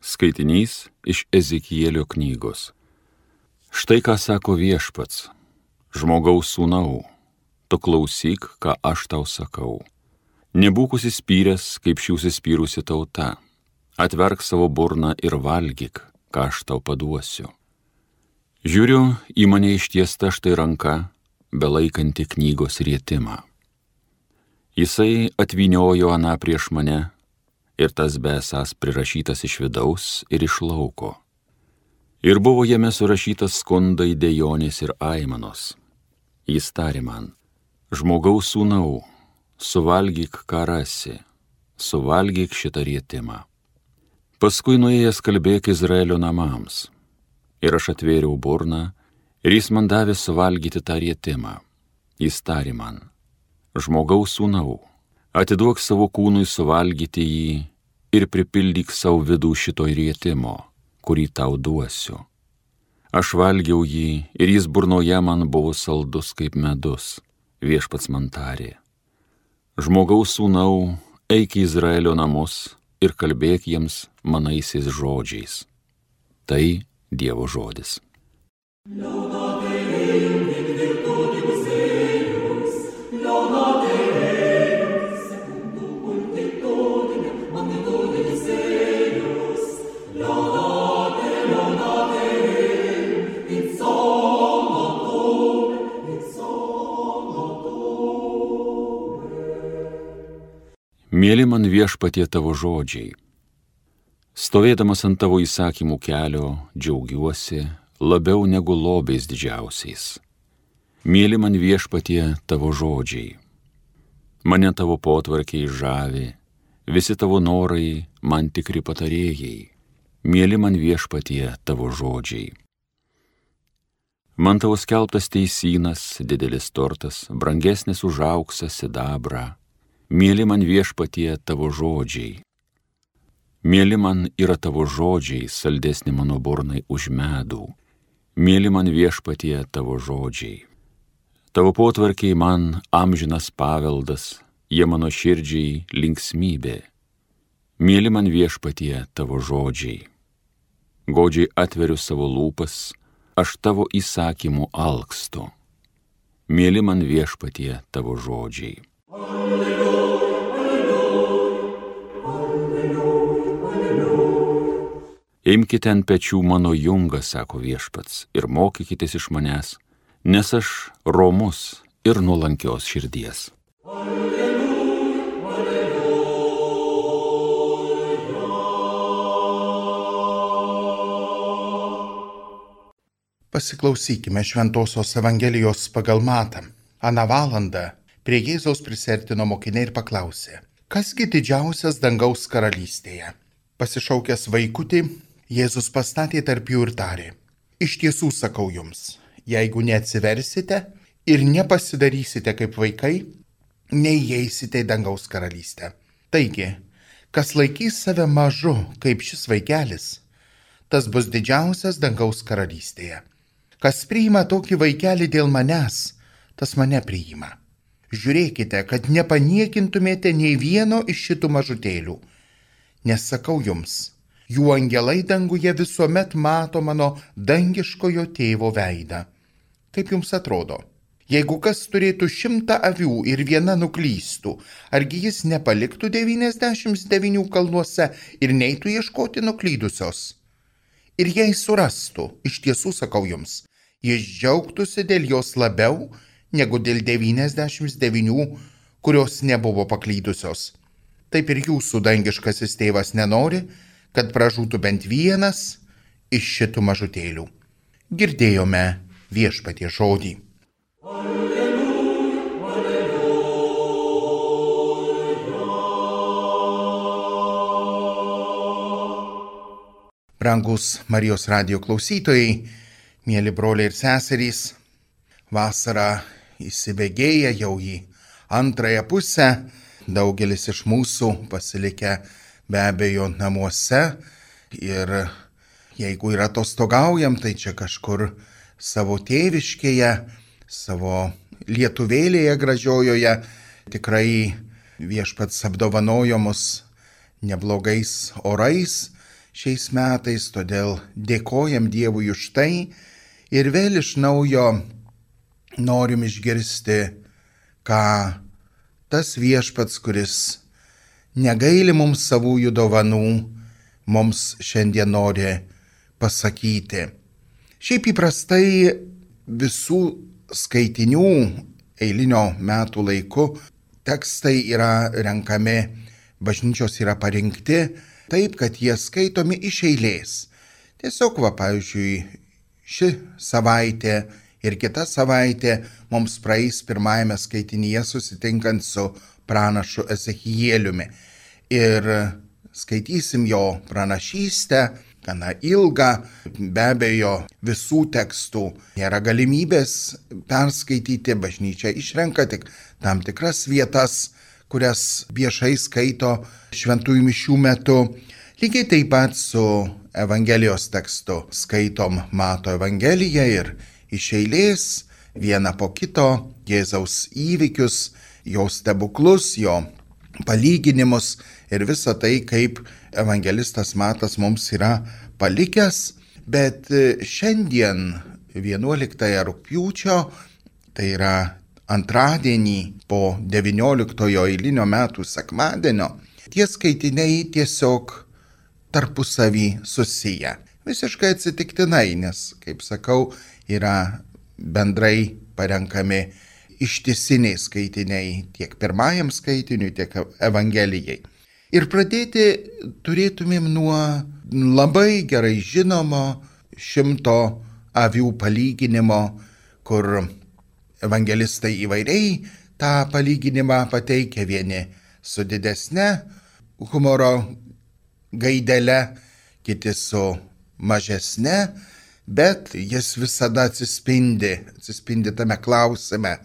Skaitinys iš Ezekielio knygos. Štai ką sako Viešpats: žmogaus sūnau, tu klausyk, ką aš tau sakau. Nebūk užsispyręs, kaip ši užsispyrusi tauta. Atverk savo burną ir valgyk, ką aš tau paduosiu. Žiūriu, į mane ištiesta štai ranka, belaikanti knygos rietimą. Jisai atvyniojo aną prieš mane, ir tas besas prirašytas iš vidaus ir iš lauko. Ir buvo jame surašytas skundai, dejonės ir aimanos. Jis tarė man: žmogaus sūnau, suvalgyk, ką rasi, suvalgyk šitą rietimą. Paskui nuėjęs kalbėk Izraelio namams. Ir aš atvėriau burną, ir jis man davė suvalgyti tą rietimą. Jis tarė man: žmogaus sūnau, atiduok savo kūnui suvalgyti jį ir pripildyk savo vidų šito rietimo, kurį tau duosiu. Aš valgiau jį ir jis burnoje man buvo saldus kaip medus. Viešpats man tarė: žmogaus sūnau, eik į Izraelio namus ir kalbėk jiems manaisiais žodžiais. Tai Dievo žodis. Mėly man Viešpatie tavo žodžiai. Stovėdamas ant tavo įsakymų kelio, džiaugiuosi labiau negu lobiais didžiausiais. Mėly man Viešpatie tavo žodžiai. Mane tavo potvarkiai žavi, visi tavo norai man tikri patarėjai. Mėly man Viešpatie tavo žodžiai. Man tavo skelbtas teisynas, didelis turtas, brangesnis už auksą, sidabrą. Mėly man Viešpatie tavo žodžiai. Mėly man yra tavo žodžiai, saldesni mano burnai už medų. Mėly man Viešpatie tavo žodžiai. Tavo potvarkiai man amžinas paveldas, jie mano širdžiai linksmybė. Mėly man Viešpatie tavo žodžiai. Godžiai atveriu savo lūpas, aš tavo įsakymų alkstu. Mėly man Viešpatie tavo žodžiai. Imkite ant pečių mano jungą, sako Viešpats, ir mokykitės iš manęs, nes aš romus ir nuolankios širdies. Pasiklausykime Šventosios Evangelijos pagal Matą. Aną valandą prie Jėzaus prisertino mokiniai ir paklausė: kasgi didžiausias dangaus karalystėje? Pasišaukęs vaikutį, Jėzus pastatė tarp jų ir tarė: iš tiesų sakau jums, jeigu neatsiversite ir nepasidarysite kaip vaikai, neįeisite į dangaus karalystę. Taigi, kas laikys save mažu kaip šis vaikelis, tas bus didžiausias dangaus karalystėje. Kas priima tokį vaikelį dėl manęs, tas mane priima. Žiūrėkite, kad nepaniekintumėte nei vieno iš šitų mažutėlių, nes sakau jums, jų angelai danguje visuomet mato mano dangiškojo tėvo veidą. Kaip jums atrodo, jeigu kas turėtų 100 avių ir viena nuklystų, argi jis nepaliktų 99 kalnuose ir neitų ieškoti nuklydusios? Ir jei surastų, iš tiesų sakau jums, jis džiaugtųsi dėl jos labiau negu dėl 99, kurios nebuvo paklydusios. Taip ir jūsų dangiškasis tėvas nenori, kad pražūtų bent vienas iš šitų mažutėlių. Girdėjome Viešpaties žodį. Alleluja, alleluja. Brangus Marijos radijo klausytojai, mėly broliai ir seserys, vasara įsibėgėja jau į antrąją pusę. Daugelis iš mūsų pasilikę be abejo namuose ir jeigu ir atostogaujam, tai čia kažkur savo tėviškėje, savo lietuvėlėje gražiojoje. Tikrai Viešpats apdovanojo mus neblogais orais šiais metais, todėl dėkojam Dievui už tai ir vėl iš naujo norim išgirsti, ką tas viešpats, kuris negaili mums savųjų dovanų, mums šiandien nori pasakyti. Šiaip įprastai visų skaitinių eilinio metų laiku tekstai yra renkami, bažnyčios yra parinkti taip, kad jie skaitomi iš eilės. Tiesiog, pavyzdžiui, ši savaitė ir kita savaitė mums praeis pirmajame skaitinyje susitinkant su pranašu Ezechieliumi. Ir skaitysim jo pranašystę, gana ilgą, be abejo visų tekstų nėra galimybės perskaityti, bažnyčia išrenka tik tam tikras vietas, kurias viešai skaito šventųjų mišių metu. Lygiai taip pat su Evangelijos tekstu skaitom Mato Evangeliją ir iš eilės vieną po kito Jėzaus įvykius, jo stebuklus, jo palyginimus ir visą tai, kaip evangelistas Matas mums yra palikęs. Bet šiandien 11 rugpjūčio, tai yra antradienį po 19 eilinio metų sekmadienio, tie skaitiniai tiesiog tarpusavį susiję. Visiškai atsitiktinai, nes, kaip sakau, yra bendrai parenkami ištisiniai skaitiniai tiek pirmajam skaitiniui, tiek Evangelijai. Ir pradėti turėtumėm nuo labai gerai žinomo 100 avių palyginimo, kur evangelistai įvairiai tą palyginimą pateikia, vieni su didesne humoro gaidele, kiti su mažesne, bet jis visada atsispindi tame klausime,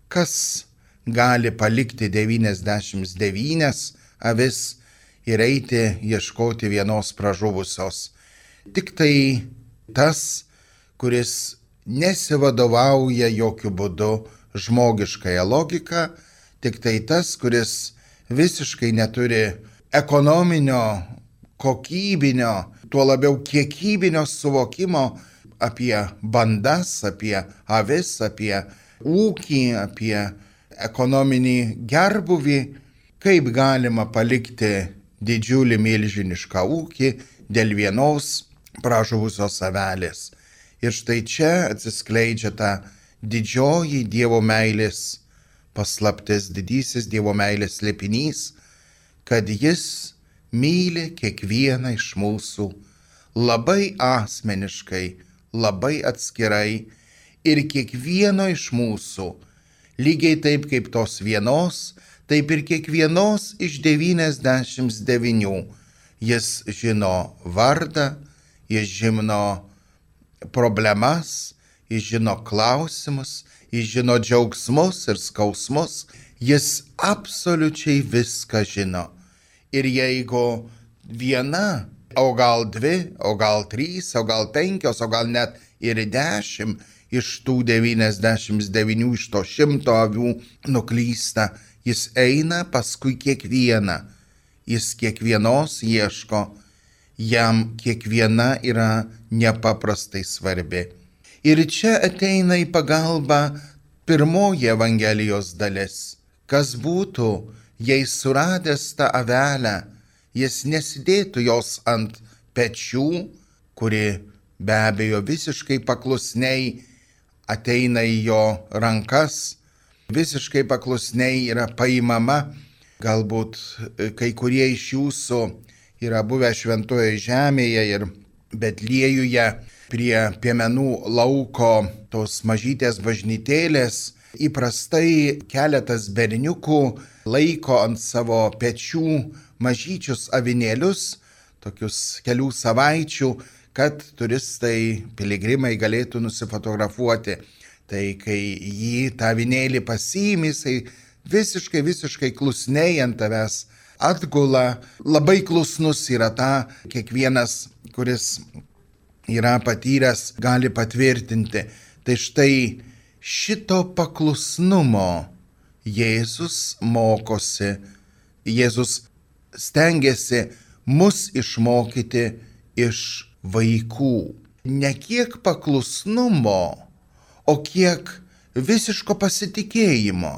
kas gali palikti 99 avis ir eiti ieškoti vienos pražuvusios. Tik tai tas, kuris nesivadovauja jokių būdų žmogiškąją logiką, tik tai tas, kuris visiškai neturi ekonominio, kokybinio, tuo labiau kiekybinio suvokimo apie bandas, apie avis, apie ūkį, apie ekonominį gerbuvį, kaip galima palikti didžiulį milžinišką ūkį dėl vienos pražuvusios avelės. Ir štai čia atsiskleidžia ta didžioji Dievo meilės paslaptis, didysis Dievo meilės slėpinys, kad jis myli kiekvieną iš mūsų labai asmeniškai, labai atskirai ir kiekvieno iš mūsų, lygiai taip kaip tos vienos, taip ir kiekvienos iš 99. Jis žino vardą, jis žino problemas, jis žino klausimus, jis žino džiaugsmus ir skausmus, jis absoliučiai viską žino. Ir jeigu viena, o gal 2, o gal 3, o gal 5, o gal net ir 10 iš tų 99 iš to 100 avių nuklysta, jis eina paskui kiekvieną, jis kiekvienos ieško, jam kiekviena yra nepaprastai svarbi. Ir čia ateina į pagalbą pirmoji Evangelijos dalis. Kas būtų, jei suradęs tą avelę, jis nesidėtų jos ant pečių, kuri be abejo visiškai paklusniai ateina į jo rankas, visiškai paklusniai yra paimama. Galbūt kai kurie iš jūsų yra buvę Šventojoje žemėje ir Betliejuje prie piemenų lauko tos mažytės bažnytėlės. Įprastai keletas berniukų laiko ant savo pečių mažyčius avinėlius, tokius kelių savaičių, kad turistai, piligrimai galėtų nusifotografuoti. Tai kai jį tą avinėlį pasiimi, jisai visiškai klusniai ant tavęs atgula, labai klusnus yra ta, kiekvienas, kuris yra patyręs, gali patvirtinti. Tai štai šito paklusnumo Jėzus mokosi, Jėzus stengiasi mus išmokyti iš vaikų. Ne kiek paklusnumo, o kiek visiško pasitikėjimo.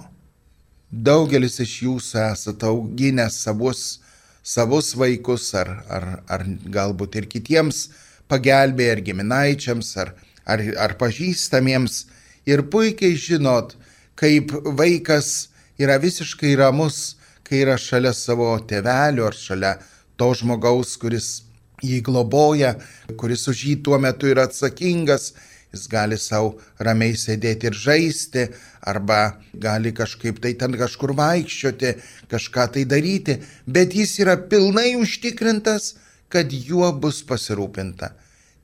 Daugelis iš jūsų esate auginę savus vaikus ar galbūt ir kitiems pagelbėję, ar giminaičiams, ar pažįstamiems. Ir puikiai žinot, kaip vaikas yra visiškai ramus, kai yra šalia savo tėvelių ar šalia to žmogaus, kuris jį globoja, kuris už jį tuo metu yra atsakingas. Jis gali savo ramiai sėdėti ir žaisti, arba gali kažkaip tai ten kažkur vaikščioti, kažką tai daryti, bet jis yra pilnai užtikrintas, kad juo bus pasirūpinta.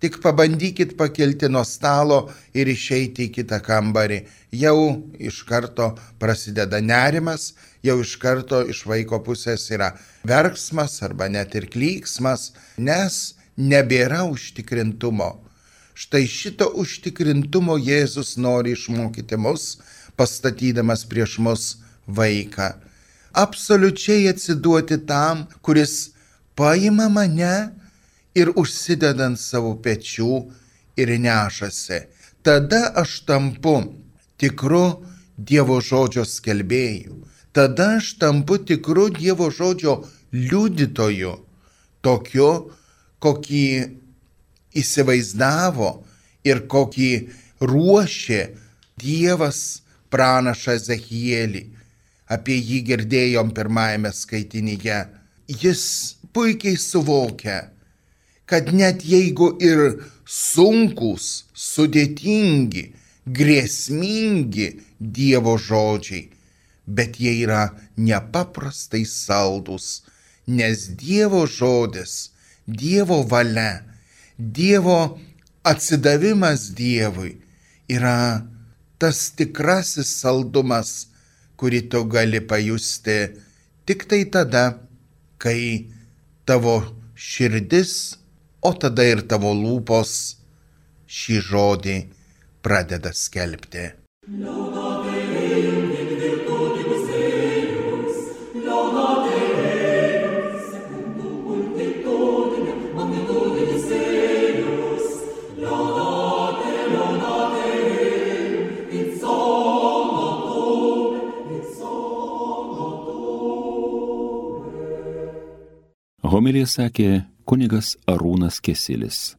Tik pabandykit pakilti nuo stalo ir išeiti į kitą kambarį. Jau iš karto prasideda nerimas, jau iš karto iš vaiko pusės yra verksmas arba net ir klyksmas, nes nebėra užtikrintumo. Štai šito užtikrintumo Jėzus nori išmokyti mus, pastatydamas prieš mus vaiką. Absoliučiai atsiduoti tam, kuris paima mane ir užsideda ant savo pečių ir nešasi. Tada aš tampu tikru Dievo žodžio skelbėju. Tada aš tampu tikru Dievo žodžio liudytoju, tokiu, kokį įsivaizdavo ir kokį ruošė Dievas pranašą Ezechielį. Apie jį girdėjom pirmajame skaitinyje. Jis puikiai suvokia, kad net jeigu ir sunkūs, sudėtingi, grėsmingi Dievo žodžiai, bet jie yra nepaprastai saldūs, nes Dievo žodis, Dievo valia, Dievo atsidavimas Dievui yra tas tikrasis saldumas, kurį tu gali pajusti tik tai tada, kai tavo širdis, o tada ir tavo lūpos šį žodį pradeda skelbti. Homiliją sakė kunigas Arūnas Kesilis.